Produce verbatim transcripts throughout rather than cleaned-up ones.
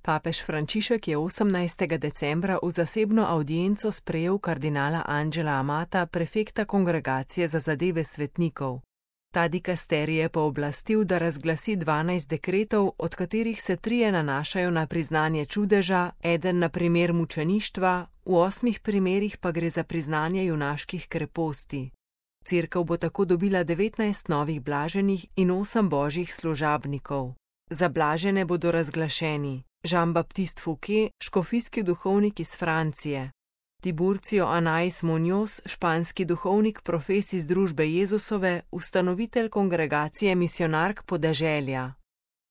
Papež Frančišek je osemnajstega decembra v zasebno avdienco sprejel kardinala Angela Amata, prefekta Kongregacije za zadeve svetnikov. Ta dikasterij je pooblastil, da razglasi dvanajst dekretov, od katerih se trije nanašajo na priznanje čudeža, eden na primer mučeništva, v osmih primerih pa gre za priznanje junaških kreposti. Cerkev bo tako dobila devetnajst novih blaženih in osem božjih služabnikov. Za blažene bodo razglašeni Jean-Baptiste Fouquet, škofijski duhovnik iz Francije, Tiburcio Anais Muñoz, španski duhovnik, profes iz družbe Jezusove, ustanovitelj kongregacije misionark podeželja,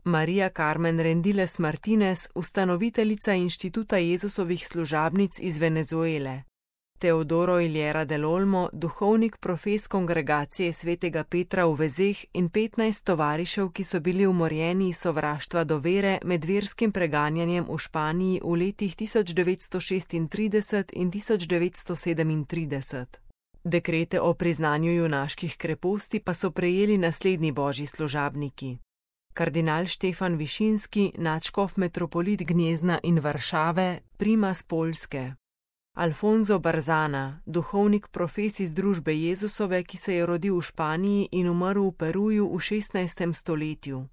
Marija Carmen Rendiles Martinez, ustanoviteljica inštituta Jezusovih služabnic iz Venezuele, Teodoro Iliera del Olmo, duhovnik, profes kongregacije svetega Petra v Vezeh in petnajst tovarišev, ki so bili umorjeni iz sovraštva do vere med verskim preganjanjem v Španiji v letih tisoč devetsto šestintrideset in tisoč devetsto sedemintrideset. Dekrete o priznanju junaških kreposti pa so prejeli naslednji božji služabniki: kardinal Štefan Višinski, nadškof metropolit Gnjezna in Varšave, primas Poljske, Alfonso Barzana, duhovnik, profes iz družbe Jezusove, ki se je rodil v Španiji in umrl v Peruju v šestnajstem stoletju,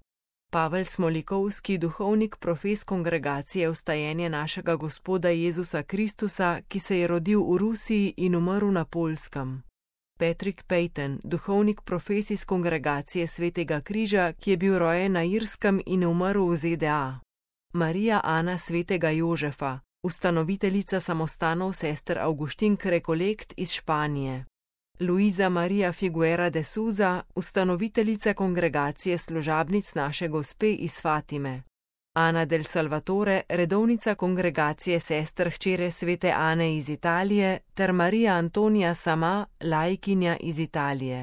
Pavel Smolikovski, duhovnik, profes kongregacije Vstajenje našega Gospoda Jezusa Kristusa, ki se je rodil v Rusiji in umrl na Poljskem, Patrick Peyton, duhovnik, profes iz kongregacije Svetega križa, ki je bil rojen na Irskem in umrl v Z D A, Marija Ana Svetega Jožefa, ustanoviteljica samostanov sester Avguštink Rekolekt iz Španije, Luisa Maria Figuera de Souza, ustanoviteljica kongregacije služabnic naše Gospe iz Fatime, Ana del Salvatore, redovnica kongregacije sester hčere svete Ane iz Italije, ter Marija Antonija Sama, laikinja iz Italije.